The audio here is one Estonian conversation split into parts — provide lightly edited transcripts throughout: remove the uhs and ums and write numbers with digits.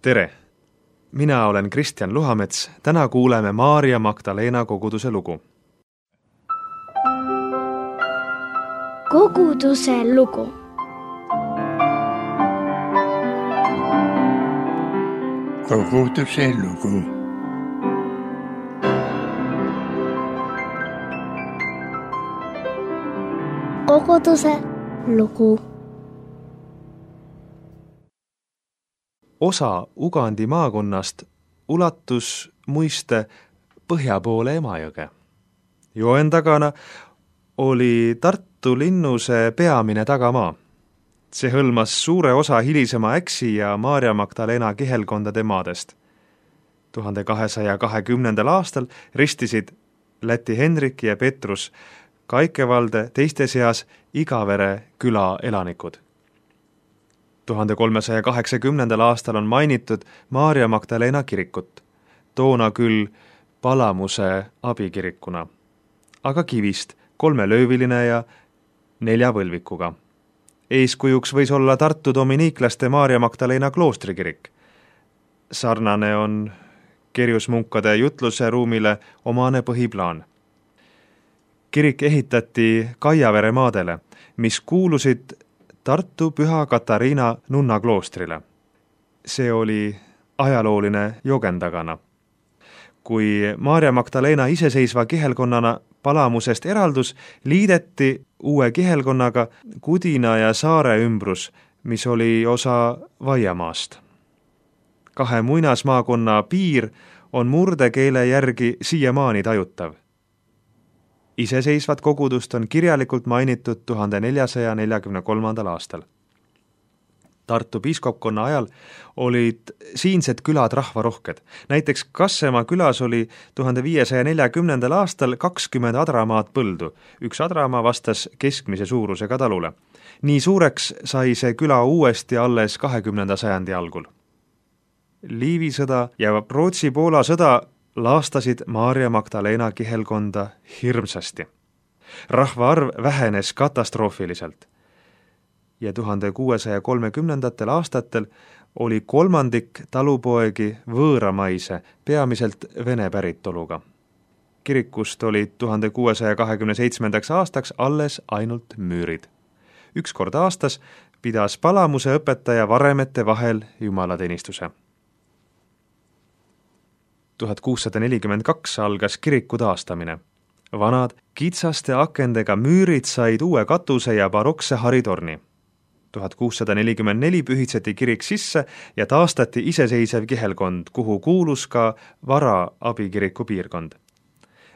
Tere! Mina olen Kristjan Luhamets. Täna kuuleme Maarja Magdalena koguduse lugu. Koguduse lugu. Koguduse lugu. Koguduse lugu. Osa Ugandi maakonnast ulatus muiste põhja poole Emajõge. Joen takana oli Tartu linnuse peamine tagamaa. See hõlmas suure osa hilisema Äksi ja Maarja Magdalena kihelkondade maadest. 1220. aastal ristisid Läti Henrik ja Petrus Kaikevalde teiste seas Igavere küla elanikud. 1380. aastal on mainitud Maarja Magdalena kirikut, toona küll Palamuse abikirikuna, aga kivist, 3-lööviline ja 4 võlvikuga. Eeskujuks võis olla Tartu dominiiklaste Maarja Magdalena kloostrikirik. Sarnane on kerjusmunkade jutluse ruumile omane põhiplaan. Kirik ehitati Kaiavere maadele, mis kuulusid Tartu Püha Katariina nunna kloostrile. See oli ajalooline Jogen takana. Kui Maarja Magdalena iseseisva kihelkonnana Palamusest eraldus, liideti uue kihelkonnaga Kudina ja Saare ümbrus, mis oli osa Vaiamaast. 2 muinasmaakonna piir on murdekeele järgi siiamaani tajutav. Iseseisvat kogudust on kirjalikult mainitud 1443. aastal. Tartu piiskopkonna ajal olid siinsed külad rahvarohked. Näiteks Kassemaa külas oli 1540. aastal 20 adramaad põldu. 1 adramaa vastas keskmise suurusega talule. Nii suureks sai see küla uuesti alles 20. sajandi algul. Liivi sõda ja Rootsi-Poola sõda laastasid Maarja Magdalena kihelkonda hirmsasti. Rahvaarv vähenes katastroofiliselt ja 1630. aastatel oli 1/3 talupoegi võõramaise, peamiselt vene päritoluga. Kirikust olid 1627. aastaks alles ainult müürid. 1 kord aastas pidas Palamuse õpetaja varemete vahel jumalateenistuse. 1642 algas kiriku taastamine. Vanad kitsaste akendega müürid said uue katuse ja barokse haritorni. 1644 pühitseti kirik sisse ja taastati iseseisev kihelkond, kuhu kuulus ka vara abikiriku piirkond.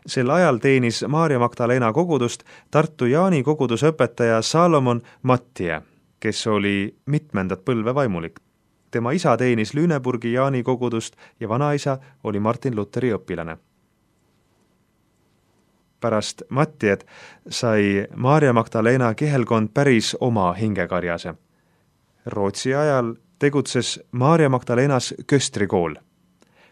Sel ajal teenis Maarja Magdalena kogudust Tartu Jaani kogudusõpetaja Salomon Mattie, kes oli mitmendat põlve vaimulik. Tema isa teenis Lüneburgi Jaani kogudust ja vanaisa oli Martin Luteri õpilane. Pärast Mattiet sai Maarja Magdalena kihelkond päris oma hingekarjase. Rootsi ajal tegutses Maarja Magdalenas köstrikool.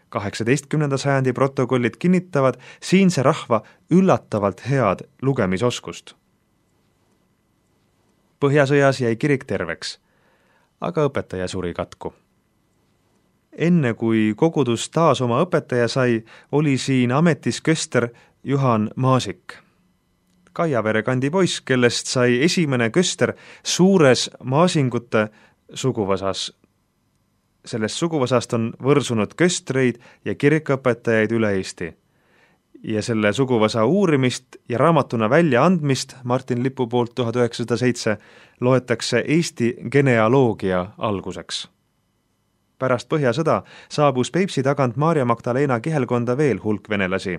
18. sajandi protokollid kinnitavad siinse rahva üllatavalt head lugemisoskust. Põhjasõjas jäi kirik terveks, aga õpetaja suri katku. Enne kui kogudus taas oma õpetaja sai, oli siin ametis köster Juhan Maasik. Kaiavere kandi poiss, kellest sai esimene köster suures Maasingute suguvõsas. Sellest suguvõsast on võrsunud köstreid ja kirikuõpetajaid üle Eesti. Ja selle suguvõsa uurimist ja raamatuna välja andmist Martin Lipu poolt 1907 loetakse Eesti genealoogia alguseks. Pärast põhjasõda saabus Peipsi tagant Maarja Magdalena kihelkonda veel hulk venelasi.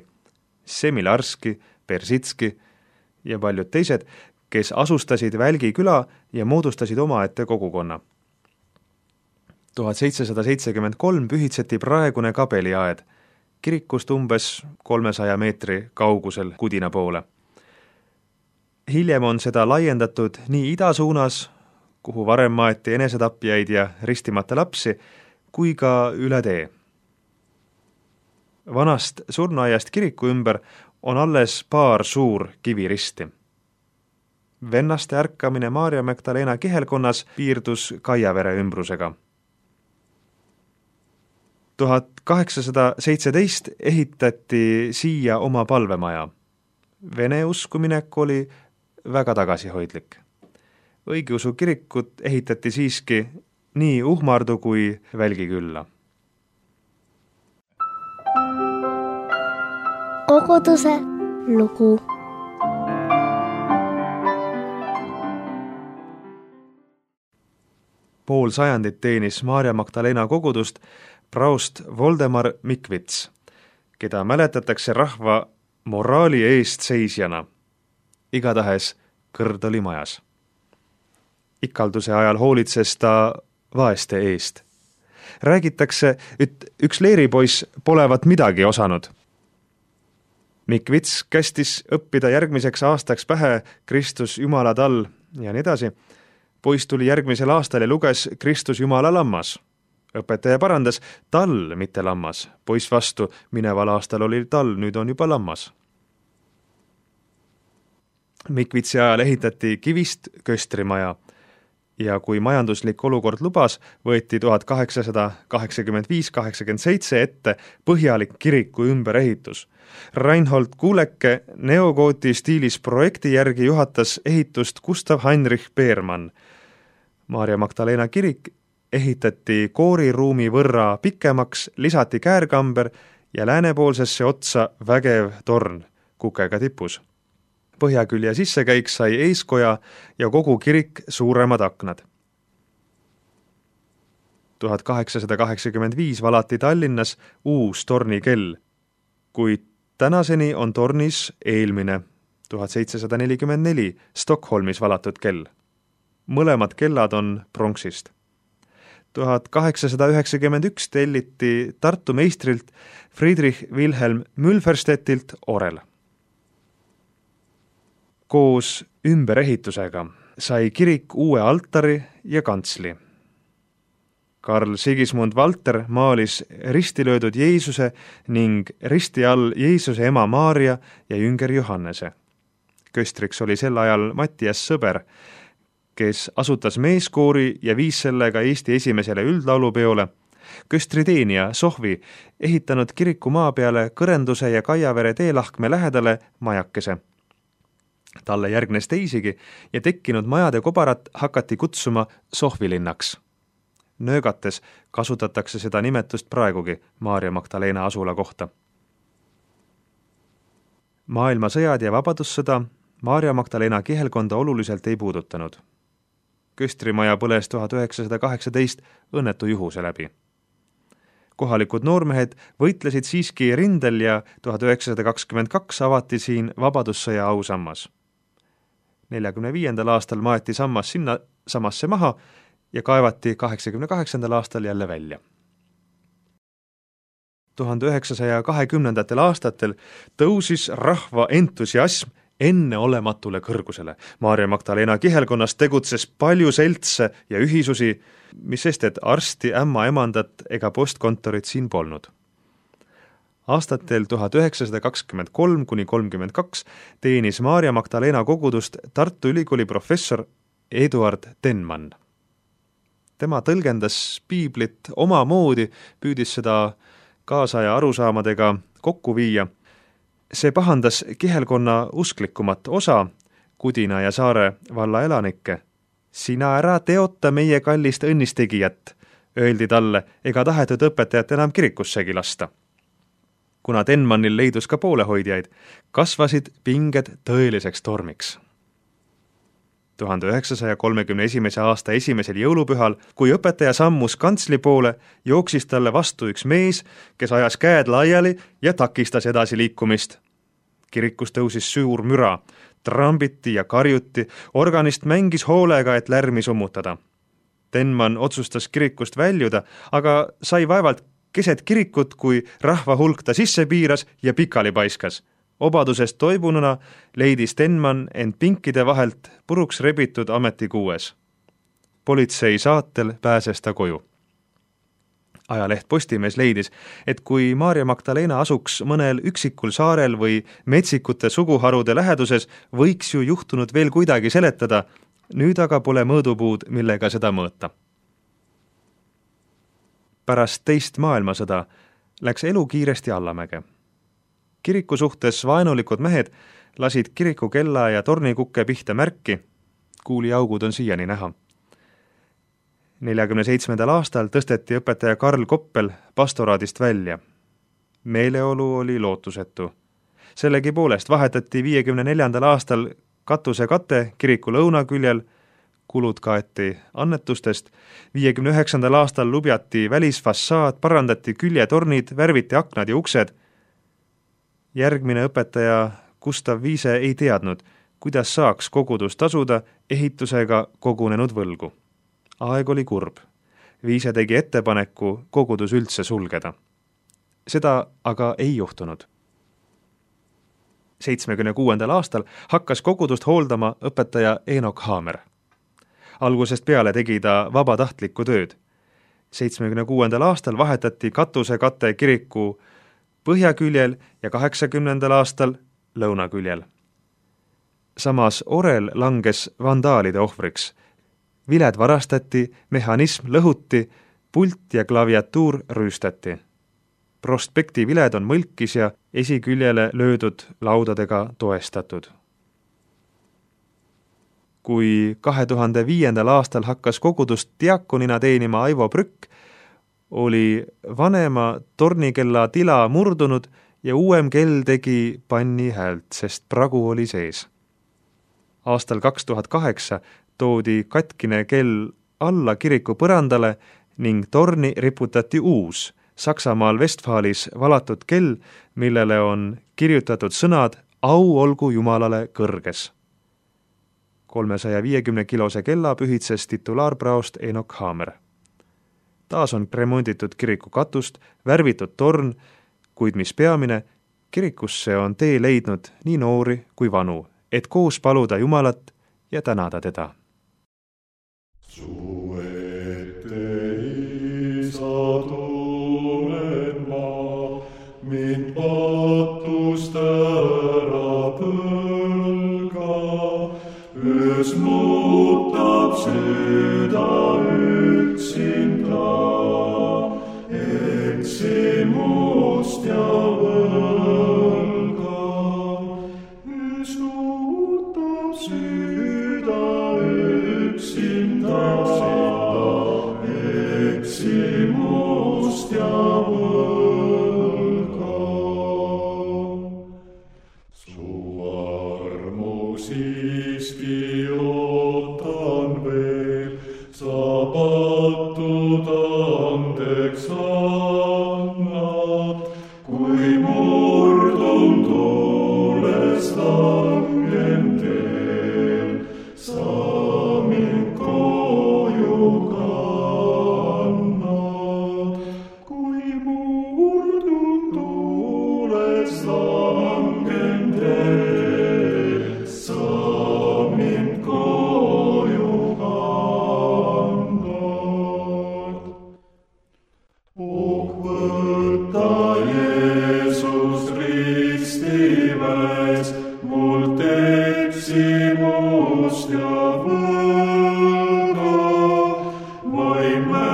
Semilarski, Persitski ja paljud teised, kes asustasid Välgi küla ja moodustasid omaette kogukonna. 1773 pühitseti praegune kabeliaed, kirikust umbes 300 meetri kaugusel Kudina poole. Hiljem on seda laiendatud nii ida suunas, kuhu varem maeti enesetapjaid ja ristimata lapsi, kui ka üle tee. Vanast surnuaiast kiriku ümber on alles paar suur kiviristi. Vennaste ärkamine Maarja Magdalena kihelkonnas piirdus Kaiavere ümbrusega. 1817 ehitati siia oma palvemaja. Vene uskuminek oli väga tagasihoidlik. Õigeusu kirikut ehitati siiski nii Uhmardu kui Välgikülla. Koguduse lugu. Pool sajandit teenis Maarja Magdalena kogudust praost Voldemar Mikvits, keda mäletatakse rahva moraali eest seisjana. Igatahes kõrd oli majas. Ikalduse ajal hoolitses ta vaeste eest. Räägitakse, et üks leeripoiss polevat midagi osanud. Mikvits kästis õppida järgmiseks aastaks pähe Kristus Jumala tall ja nii edasi. Poiss tuli järgmisel aastal ja luges Kristus Jumala lammas. Õpetaja parandas, tall, mitte lammas. Poiss vastu, mineval aastal oli tall, nüüd on juba lammas. Mikvitsi ajal ehitati kivist köstrimaja ja kui majanduslik olukord lubas, võeti 1885-87 ette põhjalik kiriku ümberehitus. Reinhold Kuuleke neogooti stiilis projekti järgi juhatas ehitust Gustav Heinrich Beermann. Maarja Magdalena kirik ehitati kooriruumi võrra pikemaks, lisati käärkamber ja läänepoolsesse otsa vägev torn kukega tipus. Põhjakülje sissekäik sai eeskoja ja kogu kirik suuremad aknad. 1885 valati Tallinnas uus tornikell, kuid tänaseni on tornis eelmine 1744 Stockholmis valatud kell. Mõlemad kellad on pronksist. 1891 telliti Tartu meistrilt Friedrich Wilhelm Mülferstedtilt orel. Koos ümberehitusega sai kirik uue altari ja kantsli. Karl Sigismund Valter maalis risti löödud Jeesuse ning risti all Jeesuse ema Maarja ja jünger Johannese. Köstriks oli sel ajal Mattias Sõber, kes asutas meeskoori ja viis sellega Eesti esimesele üldlaulupeole. Köstriteenija Sohvi ehitanud kiriku maa peale Kõrenduse ja Kaiavere teelahkme lähedale majakese. Talle järgnes teisigi ja tekkinud majade kobarat hakati kutsuma Sohvilinnaks. Nöögates kasutatakse seda nimetust praegugi Maarja Magdalena asula kohta. Maailmasõjad ja vabadussõda Maarja Magdalena kihelkonda oluliselt ei puudutanud. Köstrimaja põles 1918 õnnetu juhuse läbi. Kohalikud noormehed võitlesid siiski rindel ja 1922 avati siin vabadussõja ausammas. 45. aastal maeti sammas sinna samasse maha ja kaevati 88. aastal jälle välja. 1920. aastatel tõusis rahva entusiasm enneolematule kõrgusele. Maarja Magdalena kihelkonnas tegutses palju seltse ja ühisusi, mis sest, et arsti, ämma emandat ega postkontorit siin polnud. Aastatel 1923–32 teenis Maarja Magdalena kogudust Tartu Ülikooli professor Eduard Tenmann. Tema tõlgendas piiblit omamoodi, püüdis seda kaasaja arusaamadega kokku viia. See pahandas kihelkonna usklikumat osa, Kudina ja Saare valla elanikke. Sina ära teota meie kallist õnnistegijat, öeldi talle, ega tahetud õpetajat enam kirikussegi lasta. Kuna Tenmannil leidus ka poolehoidjaid, kasvasid pinged tõeliseks tormiks. 1931. aasta esimesel jõulupühal, kui õpetaja sammus kantsli poole, jooksis talle vastu üks mees, kes ajas käed laiali ja takistas edasi liikumist. Kirikus tõusis suur müra, trambiti ja karjuti, organist mängis hoolega, et lärmi summutada. Tenmann otsustas kirikust väljuda, aga sai vaevalt keset kirikut, kui rahva hulk ta sisse piiras ja pikali paiskas. Obadusest toibununa leidis Tenmann end pinkide vahelt puruks rebitud ametikuues. Politsei saatel pääses ta koju. Ajaleht Postimees leidis, et kui Maarja Magdalena asuks mõnel üksikul saarel või metsikute suguharude läheduses, võiks ju juhtunud veel kuidagi seletada, nüüd aga pole mõõdupuud, millega seda mõõta. Pärast teist maailmasõda läks elu kiiresti allamäge. Kiriku suhtes vaenulikud mehed lasid kiriku kella ja tornikukke pihta märki, kuuliaugud on siiani näha. 47. aastal tõsteti õpetaja Karl Koppel pastoraadist välja. Meeleolu oli lootusetu. Sellegipoolest vahetati 54. aastal katusekate kiriku lõunaküljel, kulud kaeti annetustest, 59. aastal lubjati välisfassaad, parandati küljetornid, värviti aknad ja uksed. Järgmine õpetaja Gustav Viise ei teadnud, kuidas saaks kogudus tasuda ehitusega kogunenud võlgu. Aeg oli kurb. Viise tegi ettepaneku kogudus üldse sulgeda. Seda aga ei juhtunud. 76. aastal hakkas kogudust hooldama õpetaja Enoch Haamer. Algusest peale tegi ta vabatahtlikku tööd. 76. aastal vahetati katusekate kiriku põhjaküljel ja 80. aastal lõunaküljel. Samas orel langes vandaalide ohvriks. Viled varastati, mehhanism lõhuti, pult ja klaviatuur rüüstati. Prospekti viled on mõlkis ja esiküljele löödud laudadega toestatud. Kui 2005. aastal hakkas kogudust diakonina teenima Aivo Prükk, oli vanema tornikella tila murdunud ja uuem kell tegi panni häält, sest pragu oli sees. Aastal 2008 toodi katkine kell alla kiriku põrandale ning torni riputati uus, Saksamaal Westfalis valatud kell, millele on kirjutatud sõnad "Au olgu Jumalale kõrges". 350-kilose kella pühitses titulaarpraost Enoch Haamer. Taas on remonditud kiriku katust, värvitud torn, kuid mis peamine, kirikusse on tee leidnud nii noori kui vanu, et koos paluda Jumalat ja tänada teda. Su ette, Isa, tulen ma, mind patust ära põlga, öös muutab süda üksinda, eksimust ja võlga. Öös muutab süda üksinda, eksimust ja võlga. Su armu siiski ootan veel, sa patud andeks annad, kui murdun tuules langen teel, sa mind koju kannad. Kui murdun tuules langen teel, sa mind koju kannad. Oh, võta Jeesus ristiväes mult eksimust ja võlga, vaime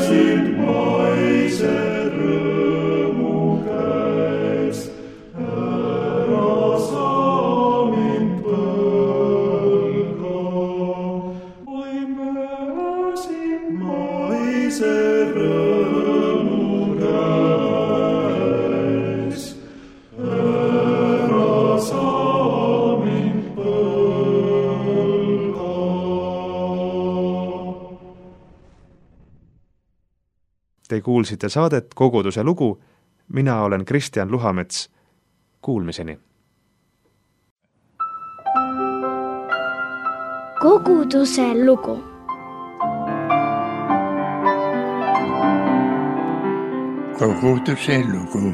sind maise rõõmu käes, ära sa mind põlga. Vaime sind maise rõõmu käes, ära sa mind põlga. Te kuulsite saadet Koguduse lugu. Mina olen Kristjan Luhamets. Kuulmiseni. Koguduse lugu. Koguduse lugu.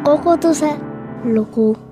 Koguduse lugu.